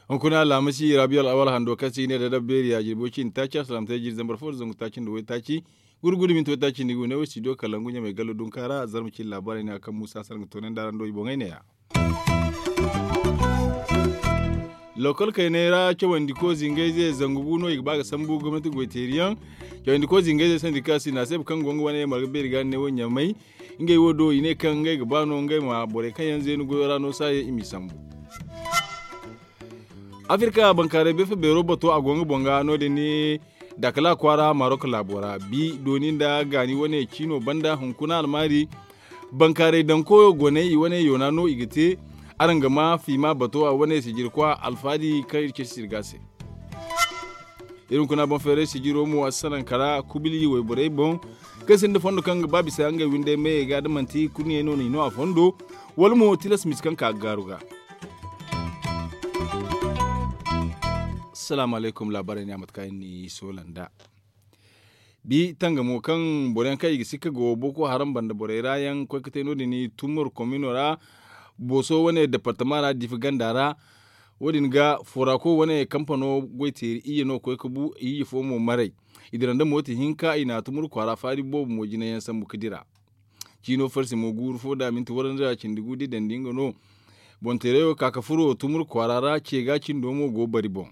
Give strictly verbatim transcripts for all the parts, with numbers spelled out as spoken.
Hunkuna alhamasi rabiya al'awal hando kaŋ se i ne da dabbeeri a jirbi way cindi taaci alsalamtey jiri zambar fo da zangu taaci nda way taaci gurgudu minti way taaci nda i go ne wo studio kalangu ɲamay gallo dunka ra zarma cine laabaarey ne a kaŋ muusa sarga toonandi araŋ do i boŋey ne- ya. Lokol kayney ra cawandi ko zingayze zangu bu no i ga ba ga sambu gomnati goyteeri yaŋ. Cawandi ko zingayze sandi ka sina se ba kaŋ go nga wane marga beeri ga ne wo ɲamay. Ngey wo do i ne kaŋ ngey ga ba no ngey ma borey kaŋ yaŋ zeenu goyo ra no saaye i m'i sambu. Afirka bankaaray beefa beero bato a go nga boŋ ga no- din dakala kwaara marok laabo ra bi dooni nda gaani wane ciino banda hunkuna almaari. Bankaaray daŋ koyo goney i wane yoona no i ga te. Araŋ ga ma fiima bato a wane sijirkwa alfaadi kaŋ iri ceeci sirga se. Iri hunkuna boŋ feeray sijiro mo a si sanaŋ kala kubili wayborey boŋ kaŋ sinda fondo kaŋ ga ba bisa ngey windey mayey ga da manti kurɲey no no i no a fondo. Wala mo tilas misi kaŋ ka ga gaaru ga. Salaamu alaykum laabaarey ne a mate kaŋ iri n'i soola nd'a. Bi tangamo kaŋ boro yaŋ kaŋ i ga sikka go boko haram banda borey ra yaŋ koy ga te no- din tumur komino ra. Booso wane departama ra diifa ganda ra. Wo- din ga forako wane kampano goy teeri iyye no koy ga bu iyye fo mo maray. I dira nda mooti hinka i na tumur kwaara faari boobo mo jina yaŋ sambu ga dira. Ciino farsi mo guuru fo da minti warandi ra cindi gu da i dandi nga no. Boŋ teerayo ka ga furo tumur kwaara ra ce ga cindo mo go bari boŋ.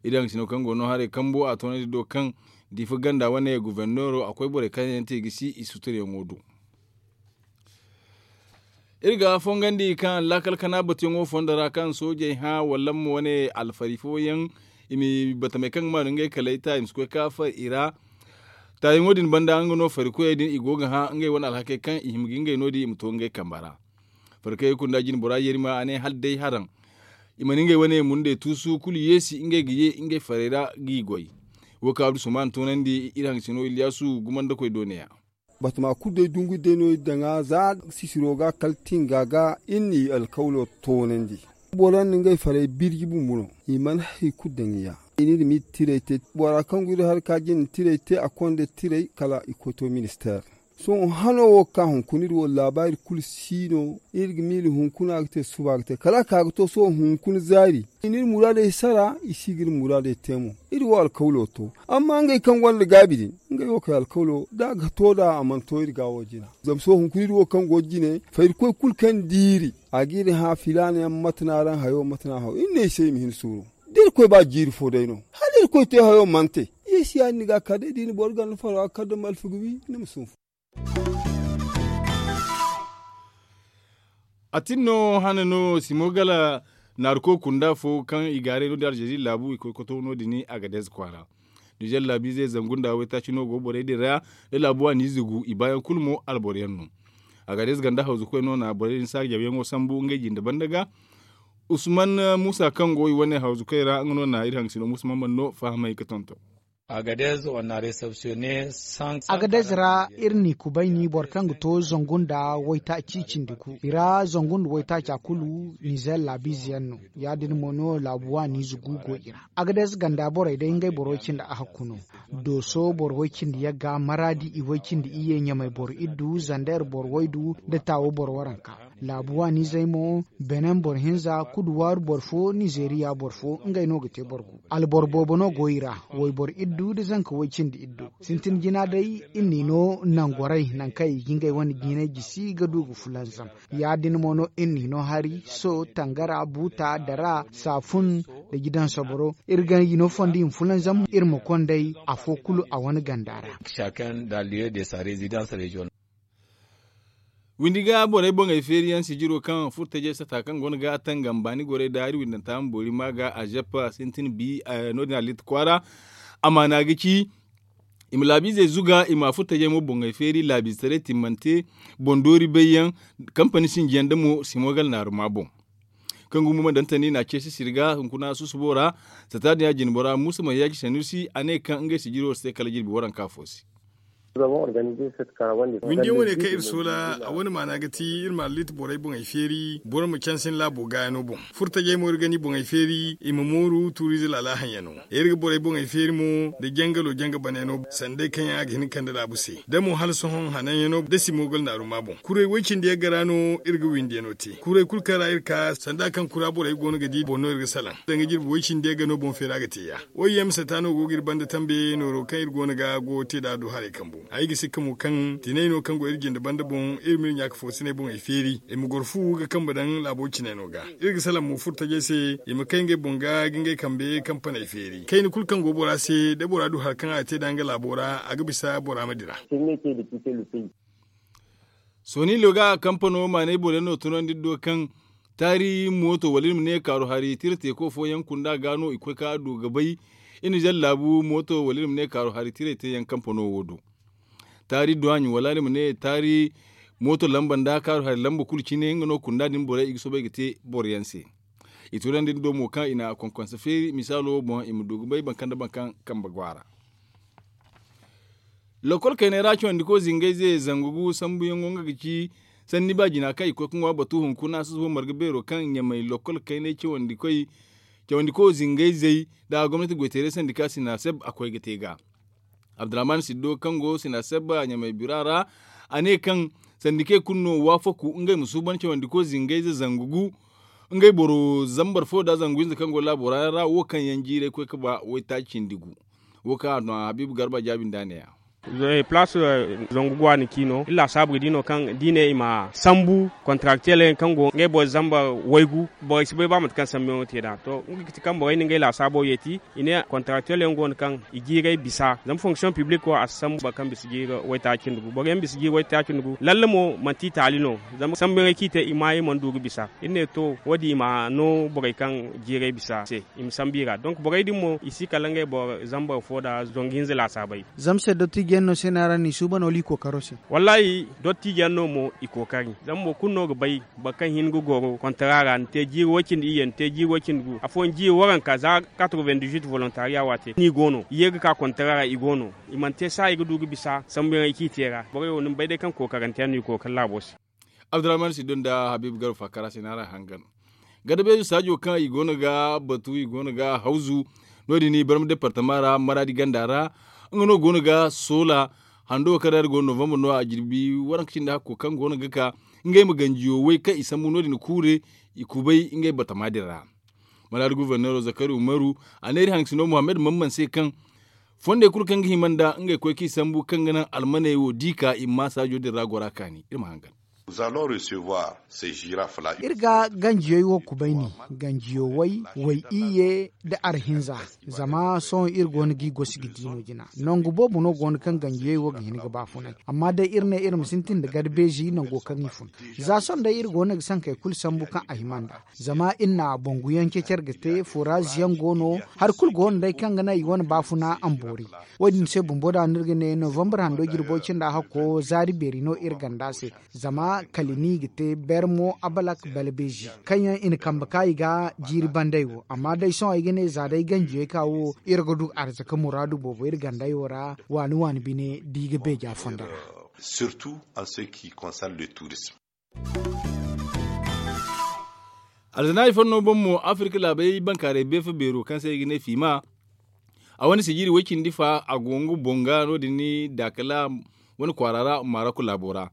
Iri haŋ sino kaŋ go no haray kambo a toonandi do kaŋ diifa ganda wane guverneero a koy borey kaŋ yaŋ te i ga si i suturyaŋo do. Iri ga fongandi kaŋ laakal kana batuyaŋo fondo ra kaŋ soojey hã wala mo wane alfari fooyaŋ i ma batamey kaŋ ga maanu ngey kalay ta i ma si koy ka far i ra. Taayaŋo din banda nga no farikoyey din i go ga hã ngey wane alhakey kaŋ i hima ga ngey no- din i ma to ngey kamba ra. Farikoyey kunda jine bora yeeri ma a ne hala day haraŋ i mana ngey wane mundey tuusu kulu yeesi ngey ga ye ngey farey ra g'i goy. Wo kaŋ abdu suman toonandi iri haŋ sino iliyaasu gumandakoy do ne- ya. Batama kulu day dungu day no iri daŋ a za sisiro ga kala tinga ga iri n'i alkawlo toonandi. Boro yaŋ na ngey farey birji bumbo no i mana hari kulu daŋ i ya. I n'iri ma iri tiray te bora kaŋ go iri hari ka jine tiray te a konda tiray kala i koy to ministeer. Sohõ hano wo ga ka hunkuna iri wo laabaari kulu si no iri ga miila hunkuna ga te suba ga te kala a ka ga to sohõ hunkuna zaari i n'iri muraadey sara i si ga iri muraadey te mo. Iri wo alkawlo to amma ngey kaŋ gonda gaabi din ngey wo kay alkawlo da a ga to nd'a a mana to iri ga wo jina zama sohõ hunkuna iri wo kaŋ go jine fayrikoy kulu kaŋ diiri a ga iri hã filaana yaŋ mate no araŋ hayo mate no a haw iri ne i se i ma hin suuru. Da irkoy ba jiiri fo day no hala irkoy te hayo mana te. Yeesi ya- din ni ga a ka day da i na boro ganda faro a ga kar da malfa ga wi ni ma sunfu. A tin no hane no simo gala naaruko kunda fo kaŋ i gaaray no- din alzeri laabu i koy koto no- din agadez kwaara. Nizer laabiizey zangu nda waytaaci no go borey din ra da laabu waaniize gu i baayaŋ kulu mo alboro yaŋ no. Agadez ganda hawzukoy no na borey din saajawyaŋo sambu ngey jinde banda ga. Usman muusa kaŋ go i wane hawzukoy ra nga no na iri haŋ sino muusa mamman no fahamay ga tonton. Agadez on a resepsiyone. Agadez ra iri n'i kubayni boro kaŋ ga to zangu nda waytaaci cindi gu i ra zangu nda waytaaca kulu nizer laabiize yaŋ no. Ya- din mo no laabu waaniize gu go i ra. Agadez ganda borey day ngey boro way cindi ahakku no. Dooso boro way cindi yagga maraadi i way cindi iyye ɲamay boro iddu zander boro waydu nda taawo boro waranka. Laabu waaniizey mo benin boro hinza kuduwaaru boro fo nizeeriya boro fo ngey no ga te boro gu. Alboro boobo no go i ra. Wayboro iddu nda zanka way cindi iddu sintin jina day iri n'i no nangorey nangu kaŋ i ga ngey wane jiinay jisi ga du ga fulanzam. Ya- din mo no iri n'i no hari so tangara buuta dara saafun nda jidaŋ soboro iri ga i no fondo i ma fulanzam iri ma konday afo kulu a wane ganda ra. Windi ga borey boŋey feeri yaŋ sijiro kaŋ furtajey sata kaŋ go no ga tangam baani gorey da hari windanta ma boori ma ga a zeppa sintin bi no- din a liiti kwaara. Amaana ga ci i ma laabiizey zuga i ma furtajey mo boŋey feeri laabiizetaray timmante boŋ doori bay yaŋ kampani sinji yaŋ da mo simogal naaru ma boŋ. Kaŋ gumo ma dantandi na ceesi sirga hunkuna susubo ra sata din ya jinbora muusa ma yaaji sanusi a ne kaŋ ngey sijiro si te kala jirbi waranka fo se. Windiyaŋ wane kaŋ iri soola a wane maana ga ti iri ma alliiti borey boŋey feeri boro ma cansin laabo gaayaŋo boŋ. Furtajey mo iri ga ni boŋey feeri i ma mooru tuuriize laala haŋyaŋo. Iri ga borey boŋey feeri mo nda jangalo janga banayaŋo sanda day kaŋ yaŋ a ga hin ga kande laabu se da mo hala sohõ hananyaŋo nda simogal naaruma boŋ kuray woy cindi yaŋ ga ra no. Iri ga windiyaŋo te kuray kulu kaŋ ra iri ka sanda kaŋ kura borey go no ga di boŋ no iri ga salaŋ danga jirbi woy cindi yaŋ ga no boŋ feera ga te ya. Oy yam sata no go ga iri banda tambe nooro kaŋ iri go no ga go te nd'a du haray kambu ay ga sikka mo kaŋ tinay no kaŋ go iri jinde banda boŋ iri ma iri ɲaaka foosiney boŋey feeri i ma goro fu ga kambe daŋ laabo cinayno ga. Iri ga salaŋ mo furo tajey se i ma kay ngey boŋ ga ga ngey kambe kampaney feeri kayna kulu kaŋ go bora se da bora du hari kaŋ a ga te nd'a nga laabo ra a ga bisa bora ma dira. Sooni loga kampano maanay boro yaŋ no tunandi iri do kaŋ taari mooto wala iri ma ne kaaru hari tira teeko fooyaŋ kunda ga no i koy ka du ga bay. Iri na zallaabu mooto wala iri ma ne kaaru hari tiray te yaŋ kampano wo do. Taari duwaaɲi wala iri ma ne taari mooto lamba nda kaaru hari lamba kulu cine nga no kunda din borey i ga soobay ga te boro yaŋ se. I tunandi iri do mo kaŋ i na konkonsa feeri misaalo boŋ i ma du ga bay boro kaŋ nda boro kaŋ kambe go a ra. Lokol kaynay ra cawandiko zingayze zangu gu sambuyaŋo nga ga ci sanni ba jina kaŋ i koy ga ŋwa batu hunkuna susubo marga beero kaŋ ɲamay lokol kaynay cawandiko zingayzey nda gomnati goyteeray sandika sinaseb a koy ga te ga. Abdurrahman siddo kaŋ go sinaseb ɲamay bira ra a ne kaŋ sandikey kulu no waafaku ngey ma suuban cawandiko zingayze zangu gu ngey boro zambar fo nda zangu hinza kaŋ go laabo ra yaŋ ra wo kaŋ yaŋ jiiray koy ga ba waytaaci cindi gu. Wo kaŋ a no habiibu garba jaabi nd'a ne- ya. Palaas zangu guwa ni ci no iri laasaabu ga di no kaŋ da i ne i ma sambu kontaraktel yaŋ kaŋ go ngey boro zamba waygu borey si bay ba mate kaŋ sambu yaŋo te nd'a to nga ga ti kaŋ borey na ngey laasaabo yeeti. I ne kontaraktel yaŋ go no kaŋ i jiiray bisa zama fonksiyoŋ piblik wo a si sambu boro kaŋ bisa jiiri waytaaci nda gu boro yaŋ bisa jiiri waytaaci nda gu lalle mo manti i taali no. Zama sambu yaŋey kaŋ i te i maayey mana du ga bisa iri ne to wo- din i ma no borey kaŋ jiiray bisa se. I ma sambu i ra donk borey din mo i si kala ngey boro zambar fo nda zangu hinza laasaabey. Zama se dottijo yaŋ no se no a ra no i suuban wala i kookaro se? Wallaahi dottijo yaŋ no mo i kookari zama boro kulu no ga bay boro kaŋ hin ga goro kontara ra ni te jiiri way cindi iyye ni te jiiri way cindi gu afooyaŋ jiiri waranka za katroven dizuit volontariya wo a te ni go no i ye ga ka kontara ra i go no. I mana te saayi ga du ga bisa sambuyaŋey kaŋ i te ra borey wo ni ma bay day kaŋ kookarante yaŋ no i kookari laabo se. Abdurrahman siddo nda habiibu garba faakara se no araŋ hangan. Gadabeezo saajo kaŋ i go no ga batu i go no ga hawzu no- din i barma departama ra maraadi ganda ra. Nga no go no ga soola hando wo kaŋ ra iri go no novambar no a jirbi waranka cindi hakko kaŋ go no ga ka ngey ma ganjiyo way kaŋ i sambu no- din kuure i kubay ngey batama din ra. Maraadi guverneero zakari umaru a ne iri haŋ sino muhammad mamman se kaŋ fondey kulu kaŋ ga hima nda ngey koy kaŋ i sambu kaŋ ga naŋ almaney wo da i ka i ma saajo din ra gora kaani iri ma hangan. Iri ga ganjiyey wo kubayni ganjiyo way way iyye nda arhinza. Zama sohõ iri go no ga i gosi ga di no jina nangu boobo no go no kaŋ ganjiyey wo ga hin ga baafunay amma day iri ne iri ma sintin nda garbeezi nango kaŋ i fun. Za sohõ day iri go no ga sankey kulu sambu kaŋ a hima nda zama iri na bonguyaŋ cecer ga te furaaz yaŋ go no. Hari kulu go no day kaŋ ga naŋ i wane baafuna amboori. Wo- din se bumbo da no iri ga ne novambar hando jirbo cinda hakko zaari beeri no iri ganda se. Zama kala ni ga te bermo abalak balbeezi kaŋ yaŋ i na kambe ka i ga jiiri bandey wo amma day sohõ ay ga ne za day ganjiyey ka wo iri ga du arzaka muraadu boobo iri gandey wo ra waani waani bine da i ga beeja fondo ra. Surtout en ce qui concerne le tourisme. Alzana i fanno boŋ mo afirka laabey bankaaray beefa beero kaŋ se i ga ne fiima. A wane sijiri way cindi fa a go nga boŋ ga no- din daakala wane kwaara ra maroko laabo ra.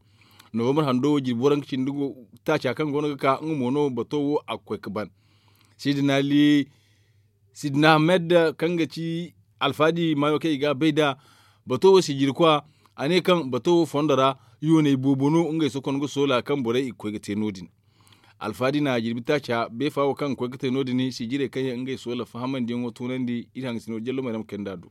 Novambar hando jirbi waranka cindi taaca kaŋ go no ga ka nga mo no bato wo a ga koy ga ban. Sidina li sidina ahmed kaŋ ga ci alfaadi maayo kaŋ i ga a bay nd'a. Bato wo sijirkwa a ne kaŋ bato wo fondo ra yooney boobo no ngey sokon ga soola kaŋ borey i ga koy ga te no- din. Alfaadi na jirbi taaca beefa wo kaŋ ga koy ga te no- din sijirey kaŋ yaŋ ngey soola fahamandiyaŋo tunandi iri haŋ sino jallo mayrama kayndi a do.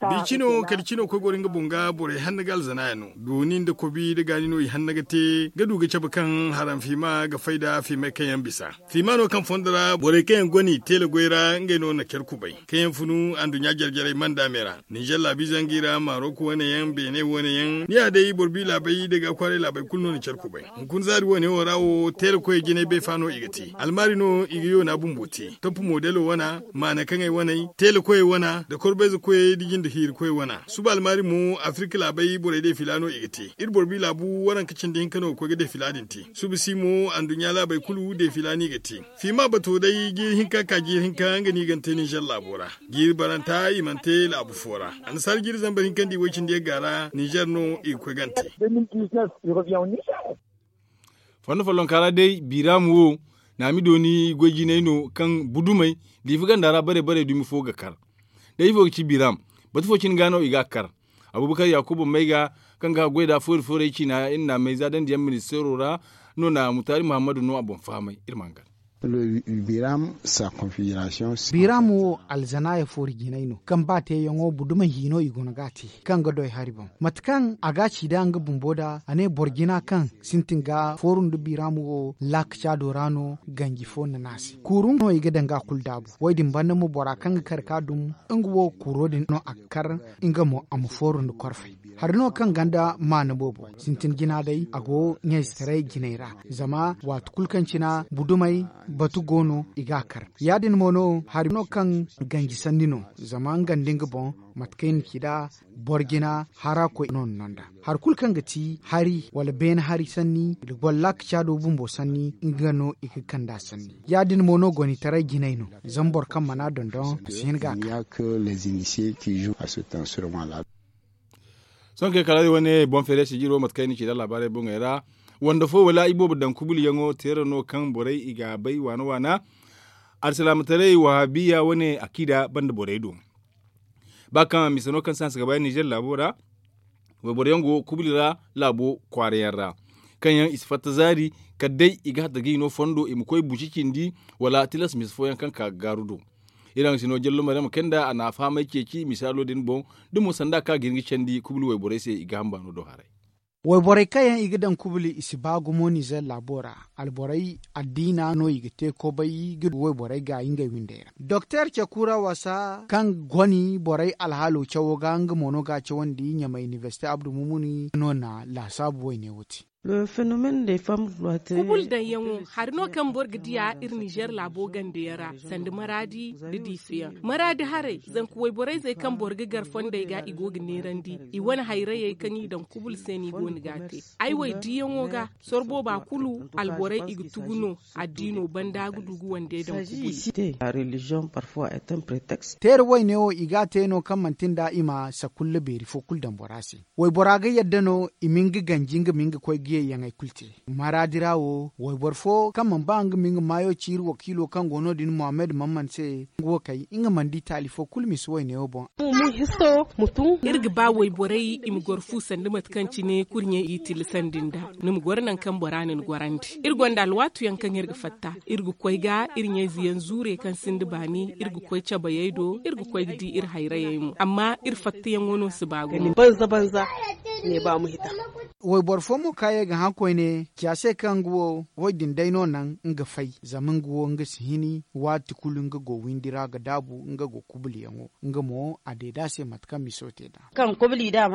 Bicino kala cino koy goro nga boŋ ga borey hanna ga alzana yaŋ no dooni nda kobi nda gaani no i hanna ga te ga du ga cabe kaŋ haram fiima ga fay nda fiimay kaŋ yaŋ bisa. Fiima no kaŋ fondo ra borey kaŋ yaŋ goni teela goy ra ngey no na care kubay kaŋ yaŋ funu anduɲɲa jare jarey manda me ra. Ninzeer laabi zangi ra marok wane yaŋ beene wane yaŋ ni ya day boro bi laabey da ga kwaaray laabey kulu no na care kubay. Hunkuna zaari wane wo ra wo teela koyey jinay bay fa no i ga te almaari no i ga yoona bumbo te topp modelo wana maana kaŋ ay waney. da koyey wana da korbayze koyey da jinde hiiri koyey wana. Suba almaari mo afirka laabey borey deefila no i ga te. Iri boro bi laabu waranka cindi hinka no ga koy ga deefila din te. Suba si mo anduɲɲa laabey kulu deefila no i ga te. Fiima bato day jiiri hinka ka jiiri hinka nga no i ga ni te ninzeer laabo ra. Jiiri baranta i mana te laabu fo ra. Annasaara jiiri zambar hinka nda i woy cindi yagga ra ninzeer no i ga koy ga ni te. Fondo follonka ra day biram wo naami dooni goy jinay no kaŋ budumey diifa ganda ra bare bare dumi fo ga kar. Day ifo ga ci biram batu fo cine ga no i ga a kar. Abubakar yakuba may ga kaŋ ga haggoy nda foori foorey ciina iri naamey za dandi yaŋ ministeero ra no na mutaari muhammadu no a boŋ fahamay iri ma hangan. Biram wo alzanaaya foori jinay no kaŋ ba teeyaŋo budumey hino i guna ga a te kaŋ ga doy hari boŋ mate kaŋ a ga a ci nd'a nga bumbo nd'a a ne boro jina kaŋ sintin ga fooru nda biram wo laakaca do ra no ganji fo na ne a se kuuru no i ga daŋ ga a kulu daabu wo- din banda mo bora kaŋ ga kar ga dum nga wo kuuro din no a ga kar nga mo a ma fooru nda korfey. Hari no kaŋ ganda maana boobo sintin jina day a go ɲayzetaray jinay ra. Zama waati kulu kaŋ cina budumey batu go no i ga a kar. Ya- din mo no hari no kaŋ ganji sanni no zama nga nda nga boŋ mate kaŋ i na ci nd'a boro jina hara koy no na no nd'a. Hari kulu kaŋ ga ti hari wala beene hari sanni boro laakaca do bumbo sanni nga no i ga kand'a sanni. Ya- din mo no gonitaray jinay no zama boro kaŋ mana dondon a si hin ga a kar. Sohõ kaŋ ay kala day wane boŋ feere sijiro mate kaŋ ay na ci nd'a laabaarey boŋey ra wande fo wala iboobo daŋ kubuliyaŋo teera no kaŋ borey i ga a bay waana waana. Alsilaamataray wahabiya wane akida banda borey do ba kaŋ a mise no kaŋ se hanse ga ba ninzeer laabo ra. Wayboroyaŋ go kubuli ra laabo kwaara yaŋ ra kaŋ yaŋ i si fatta zaari kala day i ga hatta ga i no fondo i ma koy buci cindi wala tilas mise fooyaŋ kaŋ ka ga gaaru do. Iri haŋ si no jallo maryama kay nda a na a fahamay ceeci misaalo din boŋ da mo sanda kaŋ a ga hin ga candi kubuli wayborey se i ga hamba no do haray. Wayborey kaŋ yaŋ i ga daŋ kubuli i si ba gumo ninzeer laabo ra. Alborey addiina no i ga te kobay ga du wayborey ga ngey windey ra doktor cakura wasa kaŋ goni borey alhaalo cawo ga nga mo no ga a cawandi ɲamay inibersite abdu mumuni no na laasaabu wayne wo te. Kubul daŋyaŋo hari no kaŋ boro ga diya iri nizeer laabo gande yaŋ ra sanda maraadi nda diifa yaŋ maraadi haray zanka wayborey zey kaŋ boro ga gar fondey ga i go ga neerandi i wane hayrayey kaŋ i daŋ kubul se no i go no ga a te. Ay wo ay diiyaŋo ga sorbo ba kulu alborey i ga tugu no addiino banda ga du ga wande daŋ kubul. Teera wayne wo i ga a te no kaŋ manti nda i ma sakulla beeri fo kulu daŋ bora se. Waybora ga yadda no i ma nga ganji nga ma nga koy ga yayyaŋey kulu te. Maraadi ra wo wayboro fo kaŋ mana ba nga ma nga maayo ci iri wakiilo kaŋ go no- din muhammad mamman se nga wo kay nga mana di taali fo kulu misa wayne wo boŋ. Iri ga ba wayborey i ma goro fu sanda mate kaŋ cine kurɲey i tillasandi nd'a. Ni ma goro nangu kaŋ bora na ni gorandi iri gonda alwaatuyaŋ kaŋ iri ga fatta iri ga koy ga iri ɲayze yaŋ zuure kaŋ sinda baani iri ga koy cabayey do iri ga koy ga di iri hayrayey mo amma iri fattayaŋo no si ba gumo. Wayboro fo mo kaŋ ye ga hã koyne ci a se kaŋ nga wo woy din day no naŋ nga fay zama nga wo nga si hini waati kulu nga go windi ra ga daabu nga go kubulyaŋo nga mo a deeda se mate kaŋ miso te nd'a.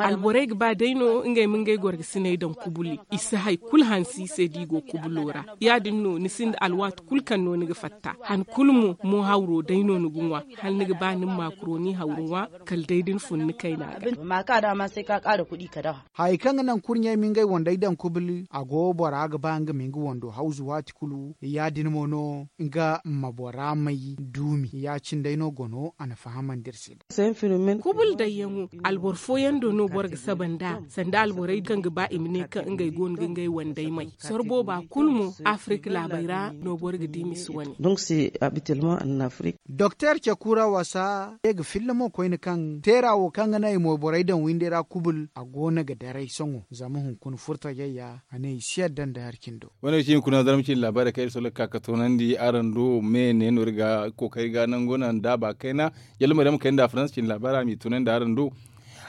Alborey ga ba day no ngey ma ngey gorgasiney daŋ kubuli i si hari kulu hansi i se da i go kubulo ra. Ya- din no ni sinda alwaati kulu kaŋ no ni ga fatta han kulu mo mo hawro day no ni ga ŋwa hala ni ga ba ni ma maakuroni hawru ŋwa kala day da ni fun ni kayna ga. Hayey kaŋ ga naŋ kurɲey ma ngey wandey daŋ kubuli a go bora ga ba nga ma nga wando hawzu waati kulu ya- din mo no nga ma bora may duumi ya- cine day no gono a na fahamandi iri se. Kubul dayyaŋo alboro fooyaŋ do no boro ga saba nd'a sanda alborey kaŋ ga ba i ma ne kaŋ ngey go no ga ngey wandey may soro booba kulu mo afirika laabey ra no boro ga di misi wane. Doktor cakura wasa ye ga filla mo koyne kaŋ teera wo kaŋ ga naŋ i mo borey daŋ windey ra kubul a go no ga daray sohõ zama hunkuna furtajey ya a ne i si yadda nda hari cindo. Wane ga ci hunkuna zarma ciine laabaarey kaŋ iri sohõ ga ka ga toonandi araŋ do me ne no iri ga kookari ga nango naŋ daaba kayna. Yalla mo day a ma kay nda faransa ciine laabaarey a m'i toonandi araŋ do.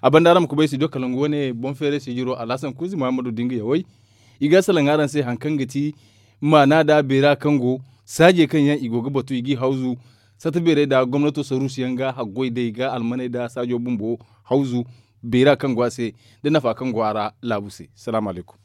A banda araŋ ma kubay studio kalangu wane boŋ feeray sijiro alhasan kuuzi muhammadu da nga yawey. I ga salaŋ araŋ se hari kaŋ ga ti maana nda beera kaŋ go saajey kaŋ yaŋ i go ga batu i g'i hawzu sata beerey nda gomnato saruusu yaŋ ga haggoy day ga almaney nda saajo bumbo hawzu beera kaŋ go a se nda nafa kaŋ go a ra laabu se. Salaamu alaykum.